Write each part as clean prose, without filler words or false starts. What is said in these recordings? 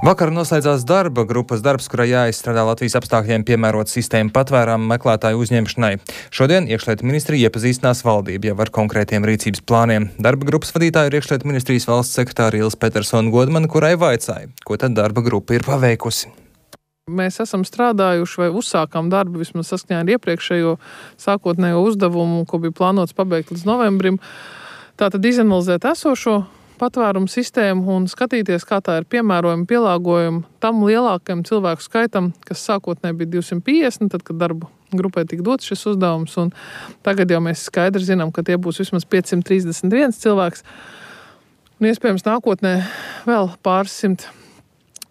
Vakar noslēdzās darba grupas darbs, kurā jāizstrādā Latvijas apstākļiem piemērot sistēmu patvērumu meklētāju uzņemšanai. Šodien iekšlietu ministrija iepazīstinās valdību jau ar konkrētiem rīcības plāniem. Darba grupas vadītāja ir iekšlietu ministrijas valsts sekretāra Ilze Petersona Godmane, kurai vaicāja, ko tad darba grupa ir paveikusi. Mēs esam strādājuši vai uzsākām darbu vismaz saskaņā ar iepriekšējo sākotnējo uzdevumu, ko bija plānots pabeigt līdz novembrim. Tātad izanalizēt esošo patvērumu sistēmu un skatīties, kā tā ir piemērojama, pielāgojama tam lielākajam cilvēku skaitam, kas sākotnēji bija 250, tad, kad darba grupai tika dots šis uzdevums, un tagad jau mēs skaidri zinām, ka tie būs vismaz 531 cilvēks, un iespējams nākotnē vēl pāris simt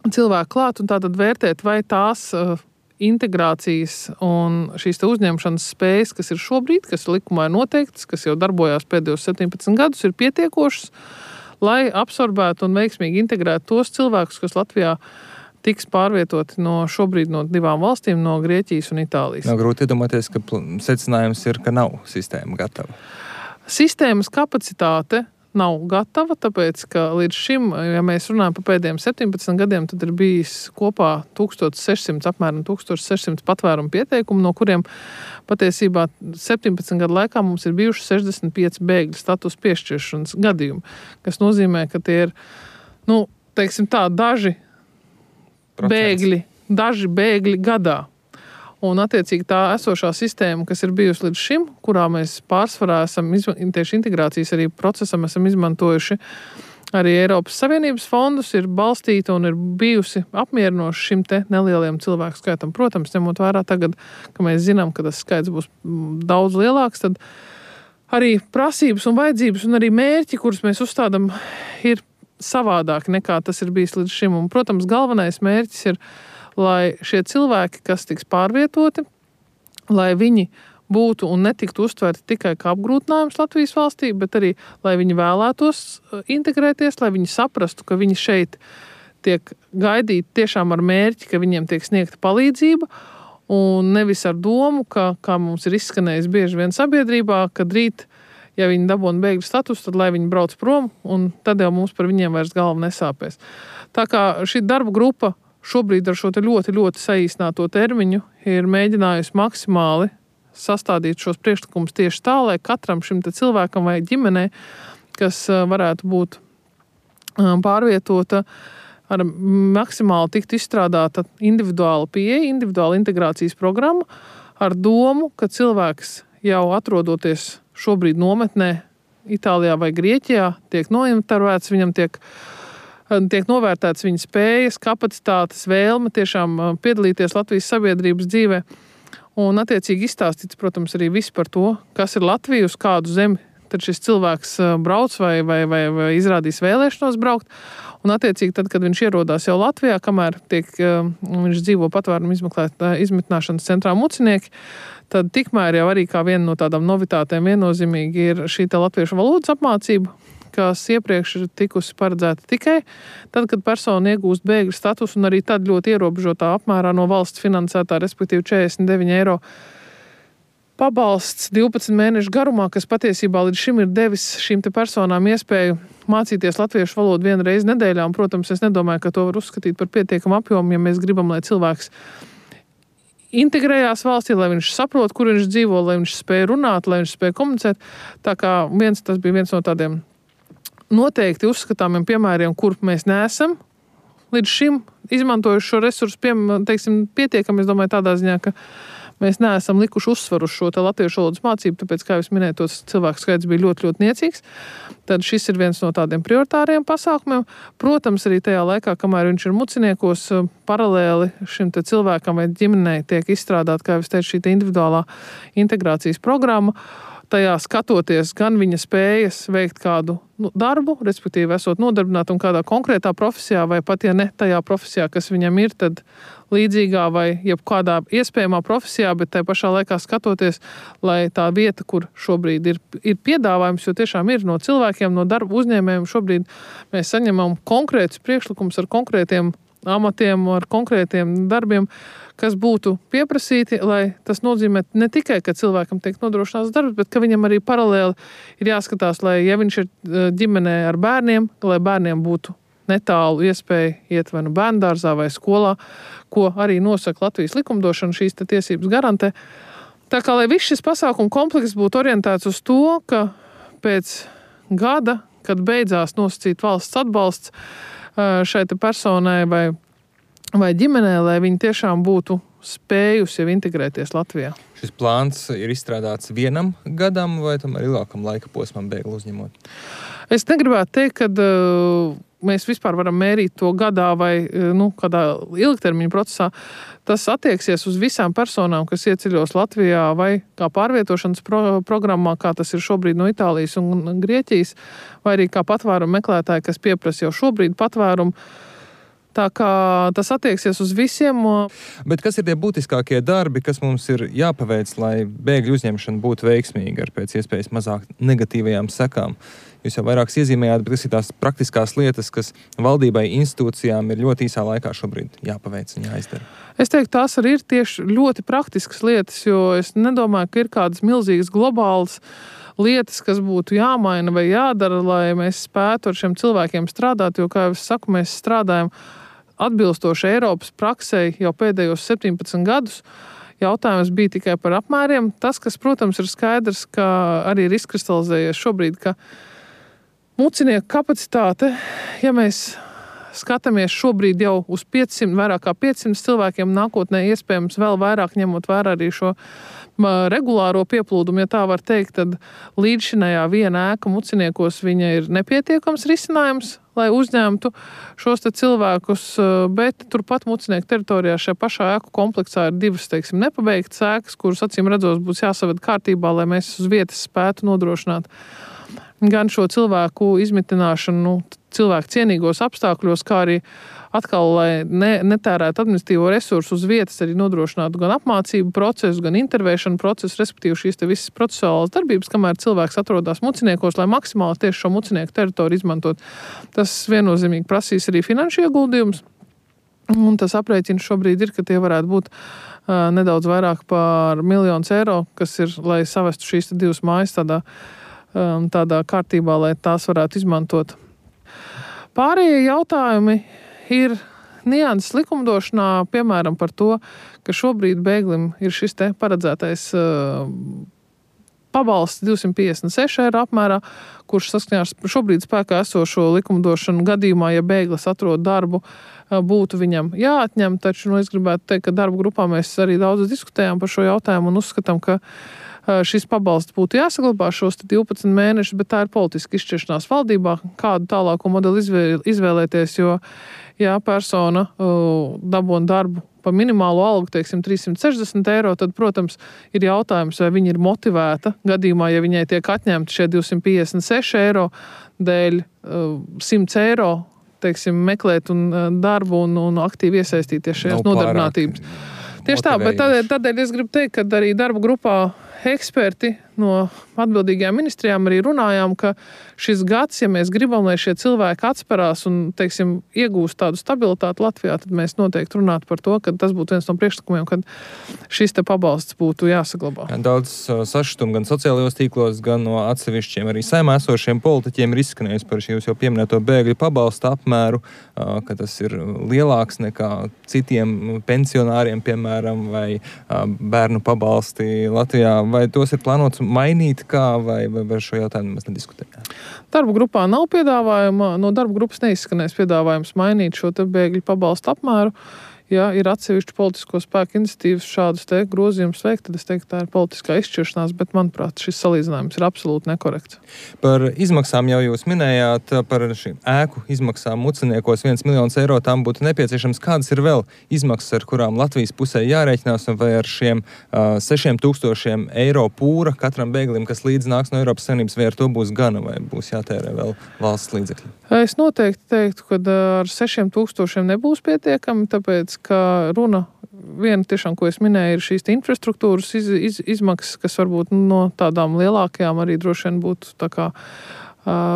cilvēku klāt, un tātad vērtēt, vai tās integrācijas un šīs uzņemšanas spējas, kas ir šobrīd, kas likumā ir noteiktas, kas jau darbojās pēdējos 17 gadus, ir pietiekošas, lai absorbētu un veiksmīgi integrētu tos cilvēkus, kas Latvijā tiks pārvietoti šobrīd no divām valstīm, no Grieķijas un Itālijas. Nav grūti iedomāties, ka secinājums ir, ka nav sistēma gatava. Sistēmas kapacitāte nav gatava, tāpēc, ka līdz šim, ja mēs runājam par pēdējiem 17 gadiem, tad ir bijis kopā apmēram 1600 patvērumu pieteikumu, no kuriem patiesībā 17 gadu laikā mums ir bijuši 65 bēgļu status piešķiršanas gadījumi, kas nozīmē, ka tie ir, daži bēgļi gadā. Un, attiecīgi, tā esošā sistēma, kas ir bijusi līdz šim, kurā mēs pārsvarā esam tieši integrācijas arī procesam esam izmantojuši arī Eiropas Savienības fondus, ir balstīta un ir bijusi apmierinoša šim te nelieliem cilvēku skaitam. Protams, ņemot vērā tagad, ka mēs zinām, ka tas skaits būs daudz lielāks, tad arī prasības un vajadzības un arī mērķi, kurus mēs uzstādam, ir savādāki nekā tas ir bijis līdz šim. Un, protams, galvenais mērķis ir, lai šie cilvēki, kas tiks pārvietoti, lai viņi būtu un netiktu uztverti tikai kā apgrūtinājums Latvijas valstī, bet arī, lai viņi vēlētos integrēties, lai viņi saprastu, ka viņi šeit tiek gaidīti tiešām ar mērķi, ka viņiem tiek sniegta palīdzība, un nevis ar domu, kā mums ir izskanējis bieži vien sabiedrībā, kad rīt, ja viņi dabūna bēgļu status, tad lai viņi brauc prom, un tad jau mums par viņiem vairs galva nesāpēs. Tā kā šī darba grupa šobrīd ar šo ļoti, ļoti saīsināto termiņu ir mēģinājusi maksimāli sastādīt šos priekšlikumus tieši tā, lai katram šim cilvēkam vai ģimenei, kas varētu būt pārvietota, ar maksimāli tikt izstrādāta individuāla pieeja, individuāla integrācijas programma ar domu, ka cilvēks jau atrodoties šobrīd nometnē Itālijā vai Grieķijā, tiek nointervēts, viņam tiek novērtēts viņa spējas, kapacitātes, vēlme tiešām piedalīties Latvijas sabiedrības dzīvē un attiecīgi izstāstīts, protams, arī viss par to, kas ir Latvija, uz kādu zemi tad šis cilvēks brauc vai izrādīs vēlēšanos braukt. Un attiecīgi tad, kad viņš ierodās jau Latvijā, kamēr viņš dzīvo patvērumu izmitināšanas centrā Mucinieki, tad tikmēr jau arī kā viena no tādām novitātēm viennozīmīgi ir šī latviešu valodas apmācība, kas iepriekš ir tikusi paredzēta tikai tad, kad persona iegūst bēgļu statusu un arī tad ļoti ierobežotā apmērā no valsts finansētā, respektīvi 49 eiro pabalsts 12 mēnešu garumā, kas patiesībā līdz šim ir devis šīm te personām iespēju mācīties latviešu valodu vienu reizi nedēļā. Un, protams, es nedomāju, ka to var uzskatīt par pietiekamu apjomu, ja mēs gribam, lai cilvēks integrējās valstī, lai viņš saprot, kur viņš dzīvo, lai viņš spēj runāt, lai viņš spēj komunicēt. Tā kā tas bija viens no tādiem noteikti uzskatāmiem piemēriem, kur mēs neesam līdz šim izmantojuši šo resursu, pietiekami, es domāju, tādā ziņā, ka mēs neesam likuši uzsvaru uz šo latviešu valodas mācību, tāpēc, kā jūs minējat, tos cilvēku skaits bija ļoti, ļoti niecīgs. Tad šis ir viens no tādiem prioritāriem pasākumiem. Protams, arī tajā laikā, kamēr viņš ir Muciniekos, paralēli šim cilvēkam vai ģimenei tiek izstrādāt, kā jūs teicu, šī individuālā integrācijas programma. Tajā skatoties gan viņa spējas veikt kādu darbu, respektīvi esot nodarbināta un kādā konkrētā profesijā, vai pat, ja ne tajā profesijā, kas viņam ir, tad līdzīgā vai jebkādā iespējamā profesijā, bet tajā pašā laikā skatoties, lai tā vieta, kur šobrīd ir piedāvājums, jo tiešām ir no cilvēkiem, no darba uzņēmējiem, šobrīd mēs saņemam konkrētus priekšlikumus ar konkrētiem amatiem, ar konkrētiem darbiem, kas būtu pieprasīti, lai tas nozīmē ne tikai, ka cilvēkam tiek nodrošināts darbs, bet ka viņam arī paralēli ir jāskatās, lai, ja viņš ir ģimenē ar bērniem, lai bērniem būtu netālu iespēju iet vai nu bērndārzā vai skolā, ko arī nosaka Latvijas likumdošana, šīs tiesības garantē. Tā kā, lai viss šis pasākumu komplekss būtu orientēts uz to, ka pēc gada, kad beidzās nosacīt valsts atbalsts šai personai vai ģimenē, lai viņi tiešām būtu spējusi jau integrēties Latvijā. Šis plāns ir izstrādāts vienam gadam vai tomēr ilgākam laika posmam bēgli uzņemot? Es negribētu teikt, ka mēs vispār varam mērīt to gadā vai kādā ilgtermiņa procesā. Tas attieksies uz visām personām, kas ieceļos Latvijā vai kā pārvietošanas programmā, kā tas ir šobrīd no Itālijas un Grieķijas, vai arī kā patvērumu meklētāji, kas pieprasa jau šobrīd patvērumu. Tā kā tas attieksies uz visiem. Bet kas ir tie būtiskākie darbi, kas mums ir jāpaveic, lai bēgļu uzņemšana būtu veiksmīga ar pēc iespējas mazāk negatīvajām sekām? Jūs jau vairākas iezīmējāt, bet kas ir tās praktiskās lietas, kas valdībai, institūcijām ir ļoti īsā laikā šobrīd jāpaveic un jāizdara? Es teiktu, tās arī ir tieši ļoti praktiskas lietas, jo es nedomāju, ka ir kādas milzīgas globālas lietas, kas būtu jāmaina vai jādara, lai mēs spētu ar šiem cilvēkiem strādāt, jo, kā jau es saku, mēs strādājam atbilstoši Eiropas praksei jau pēdējos 17 gadus. Jautājums bija tikai par apmēriem. Tas, kas, protams, ir skaidrs, ka arī ir izkristalizējies šobrīd, ka mucinieku kapacitāte, ja mēs skatāmies šobrīd jau uz 500, vairāk kā 500 cilvēkiem, nākotnē iespējams vēl vairāk ņemot vērā arī šo regulāro pieplūdumu, ja tā var teikt, tad līdzšinējā viena ēka muciniekos viņa ir nepietiekams risinājums, lai uzņemtu šos cilvēkus, bet turpat mucinieku teritorijā šajā pašā ēku kompleksā ir divas, nepabeigtas ēkas, kuras acīm redzot būs jāsaved kārtībā, lai mēs uz vietas spētu nodrošināt gan šo cilvēku izmitināšanu cilvēku cienīgos apstākļos, kā arī atkal, lai netērētu administratīvo resursu uz vietas, arī nodrošinātu gan apmācību procesu, gan intervēšanu procesu, respektīvi šīs visas procesuālās darbības, kamēr cilvēks atrodas muciniekos, lai maksimāli tieši šo mucinieku teritoriju izmantot. Tas viennozīmīgi prasīs arī finanšu ieguldījums, un tas aprēķins šobrīd ir, ka tie varētu būt nedaudz vairāk par 1 miljonu eiro, kas ir, lai savestu šīs divas mājas tādā kārtībā, lai tās varētu izmantot. Pārējie jautājumi ir nianses likumdošanā, piemēram, par to, ka šobrīd bēglim ir šis paredzētais pabalsts 256 eiro apmērā, kurš saskaņā ar šobrīd spēkā esošo likumdošanu gadījumā, ja bēglis atrod darbu, būtu viņam jāatņem. Taču es gribētu teikt, ka darba grupā mēs arī daudz diskutējām par šo jautājumu un uzskatām, ka šis pabalsts būtu jāsaglabā šos 12 mēnešus, bet tā ir politiska izšķiršanās valdībā, kādu tālāko modeli izvēlēties, jo, ja persona dabūna darbu pa minimālo algu, 360 eiro, tad, protams, ir jautājums, vai viņa ir motivēta gadījumā, ja viņai tiek atņemti šie 256 eiro dēļ 100 eiro, meklēt darbu un aktīvi iesaistīties šajās nodarbinātības. Tieši tā, bet tādēļ es gribu teikt, ka arī darba grupā eksperti no atbildīgajām ministrijām arī runājām, ka šis gads, ja mēs gribam, lai šie cilvēki atsperās un, iegūst tādu stabilitāti Latvijā, tad mēs noteikti runātu par to, ka tas būtu viens no priekšlikumiem, kad šis pabalsts būtu jāsaglabā. Daudz sašutumu gan sociālajos tīklos, gan no atsevišķiem arī saimā esošiem politiķiem ir izskanējis par šī jūs jau pieminēto bēgļu pabalsta apmēru, ka tas ir lielāks nekā citiem pensionāriem, piemēram, vai bērnu pabalsti Latvijā. Vai tos ir plānots mainīt, vai šo jautājumu mēs nediskutējām? Darba grupā nav piedāvājuma, no darba grupas neizskanēs piedāvājums mainīt šo bēgļu pabalstu apmēru. Ja ir atsevišķi politisko spēku iniciatīvas šādus grozījumus veikt, tad es teiktu, tā ir politiskā izšķiršanās, bet, manuprāt, šis salīdzinājums ir absolūti nekorekts. Par izmaksām jau jūs minējāt, par šīm ēku izmaksām muciniekos 1 miljons eiro tām būtu nepieciešams. Kādas ir vēl izmaksas, ar kurām Latvijas pusē jārēķinās, un vai ar šiem 6,000 eiro pūra katram bēglim, kas līdz nāks no Eiropas Savienības, vai ar to būs gana, vai būs jātērē vēl valsts līdzekļi? Es noteikti teiktu, ka ar 6,000 nebūs pietiekami, tāpēc, ka runa viena tiešām, ko es minēju, ir šīs infrastruktūras izmaksas, kas varbūt no tādām lielākajām arī droši vien būtu tā kā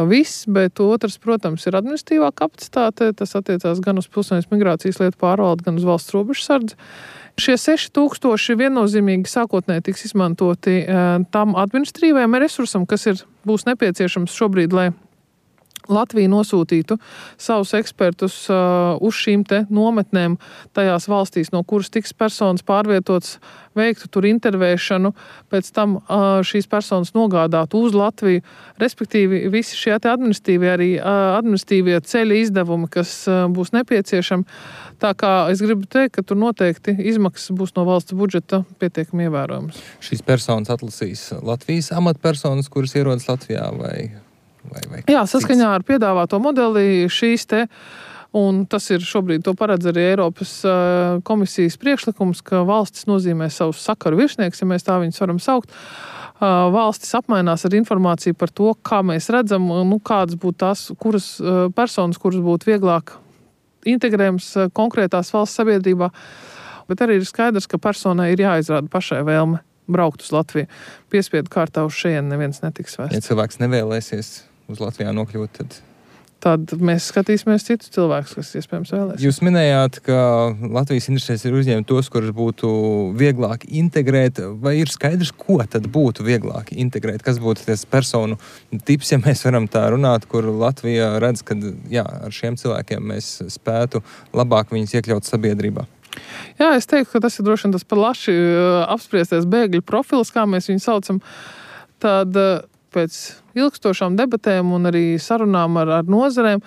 viss, bet otrs, protams, ir administratīvā kapacitāte. Tas attiecās gan uz pilsonības migrācijas lietu pārvaldi, gan uz valsts robežsardzi. Šie 6,000 viennozīmīgi sākotnēji tiks izmantoti tam administratīvajam resursam, kas būs nepieciešams šobrīd, lai Latvija nosūtītu savus ekspertus uz šīm te nometnēm tajās valstīs, no kuras tiks personas pārvietotas, veiktu tur intervēšanu, pēc tam šīs personas nogādātu uz Latviju, respektīvi visi šie administratīvie ceļa izdevumi, kas būs nepieciešami. Tā kā es gribu teikt, ka tur noteikti izmaksas būs no valsts budžeta pietiekami ievērojamas. Šīs personas atlasīs Latvijas amatpersonas, kuras ierodas Latvijā vai Jā, saskaņā ar piedāvāto modeli šīs te, un tas ir šobrīd to paredz arī Eiropas komisijas priekšlikums, ka valstis nozīmē savus sakaru virsnieks, ja mēs tā viņus varam saukt. Valstis apmainās ar informāciju par to, kā mēs redzam, kādas būtu tās, kuras personas, kuras būtu vieglāk integrējams konkrētās valsts sabiedrībā, bet arī ir skaidrs, ka personai ir jāizrāda pašai vēlme braukt uz Latviju. Piespiedu kārtā uz šejienu neviens netiks vēsts. Ja cilvēks nevēlēsies uz Latvijā nokļūt, tad mēs skatīsimies citus cilvēkus, kas iespējams vēlēs. Jūs minējāt, ka Latvijas interesēs ir uzņemt tos, kurus būtu vieglāk integrēt. Vai ir skaidrs, ko tad būtu vieglāk integrēt? Kas būtu tas personu tips, ja mēs varam tā runāt, kur Latvija redz, ka ar šiem cilvēkiem mēs spētu labāk viņus iekļaut sabiedrībā? Jā, es teiktu, ka tas ir droši vien tas plaši apspriestais bēgļu profils, kā mēs viņu saucam. Tad pēc ilgstošām debatēm un arī sarunām ar nozarēm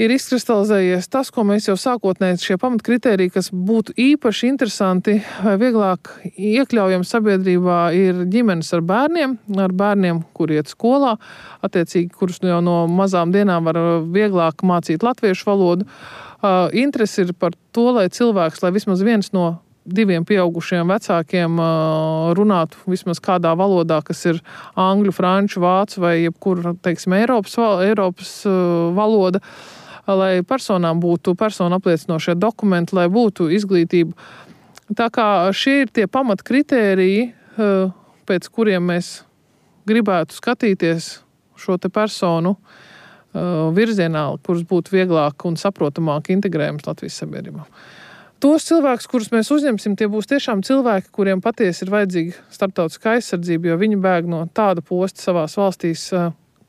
ir izkristalizējies tas, ko mēs jau sākotnēji šie pamatkritēriji, kas būtu īpaši interesanti vai vieglāk iekļaujami sabiedrībā, ir ģimenes ar bērniem, kur iet skolā, attiecīgi, kurus jau no mazām dienām var vieglāk mācīt latviešu valodu. Interesi ir par to, lai cilvēks, lai vismaz viens no 2 pieaugušiem vecākiem runātu vismaz kādā valodā, kas ir angļu, franču, vācu vai jebkura, teiksim, Eiropas valoda, lai personām būtu personu apliecinošie dokumenti, lai būtu izglītība. Tā kā šie ir tie pamatkritēriji, pēc kuriem mēs gribētu skatīties šo te personu virzienā, kurus būtu vieglāk un saprotamāk integrējams Latvijas sabiedrībā. Tos cilvēkus, kurus mēs uzņemsim, tie būs tiešām cilvēki, kuriem patiesi ir vajadzīga starptautiskā aizsardzība, jo viņi bēg no tāda posta savās valstīs,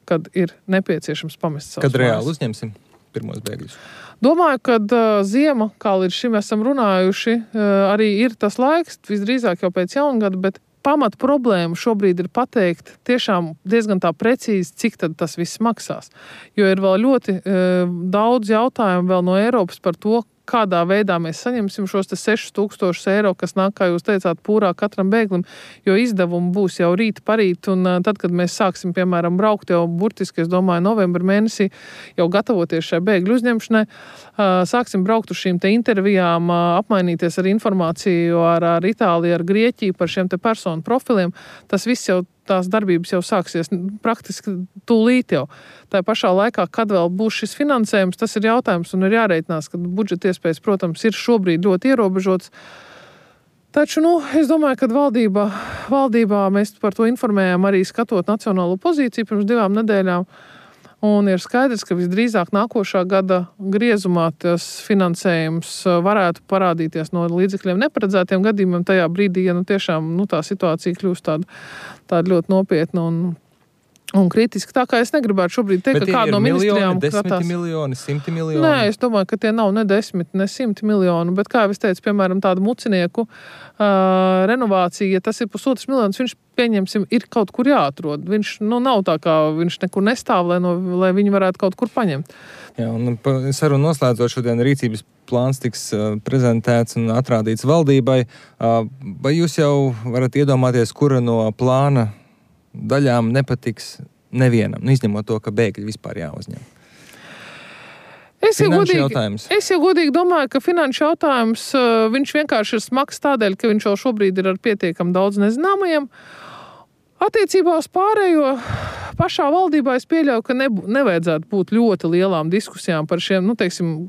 kad ir nepieciešams pamest savus Kad reāli uzņemsim pirmos bēgļus? Domāju, ka ziema, kā līdz šim esam runājuši, arī ir tas laiks, visdrīzāk jau pēc jaungada, bet pamat problēma šobrīd ir pateikt tiešām diezgan tā precīzi, cik tad tas viss maksās. Jo ir vēl ļoti daudz jautājumu vēl no Eiropas par to, kādā veidā mēs saņemsim šos 6,000 eiro, kas nāk, kā jūs teicāt, pūrā katram bēglim, jo izdevumi būs jau rīt parīt, un tad, kad mēs sāksim, piemēram, braukt jau burtiski, es domāju, novembra mēnesī, jau gatavoties šai bēgļu uzņemšanai, sāksim braukt uz šīm te intervijām, apmainīties ar informāciju ar Itāliju, ar Grieķiju par šiem te personu profiliem, tas viss jau tās darbības jau sāksies praktiski tūlīt jau. Tā pašā laikā, kad vēl būs šis finansējums, tas ir jautājums un ir jāreitinās, ka budžeta iespējas, protams, ir šobrīd ļoti ierobežots. Taču, es domāju, ka valdībā mēs par to informējām arī skatot nacionālo pozīciju pirms 2 nedēļām. Un ir skaidrs, ka visdrīzāk nākošā gada griezumā tas finansējums varētu parādīties no līdzekļiem neparedzētiem gadījumiem tajā brīdī, ja tiešām tā situācija kļūst tāda ļoti nopietna un kritiski. Tā kā es negribētu šobrīd teikt, ka kāda no ministrijām skatās. 10 miljoni, 100 miljoni? Nē, es domāju, ka tie nav ne 10, ne 100 miljonu, bet kā jau es teicu, piemēram, tādu mucinieku renovācija, ja tas ir 1,5 miljonus, viņš, pieņemsim, ir kaut kur jāatrod. Viņš, nav tā kā viņš nekur nestāv, lai viņi varētu kaut kur paņemt. Jā, un sarunu noslēdzot šodien rīcības plāns tiks prezentēts un atrādīts valdībai. Vai jūs jau varat iedomāties, kura no plāna daļām nepatiks nevienam, izņemot to, ka bēgļi vispār jāuzņem? Es jau godīgi domāju, ka finanšu jautājums, viņš vienkārši ir smags tādēļ, ka viņš jau šobrīd ir ar pietiekam daudz nezināmajiem. Attiecībā uz pārējo pašā valdībā es pieļauju, ka nevajadzētu būt ļoti lielām diskusijām par šiem,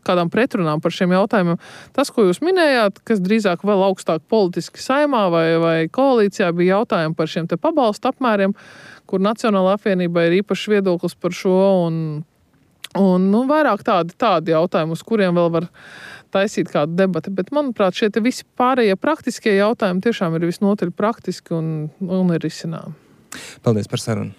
kādām pretrunām par šiem jautājumiem. Tas, ko jūs minējāt, kas drīzāk vēl augstāk politiski saimā vai koalīcijā, bija jautājumi par šiem te pabalstu apmēriem, kur Nacionālā apvienībā ir īpašs viedoklis par šo un vairāk tādi jautājumi, uz kuriem vēl var taisīt kādu debati. Bet, manuprāt, šie te visi pārējie praktiskie jautājumi tiešām ir visnotaļ praktiski un ir risināmi. Paldies par sarunu.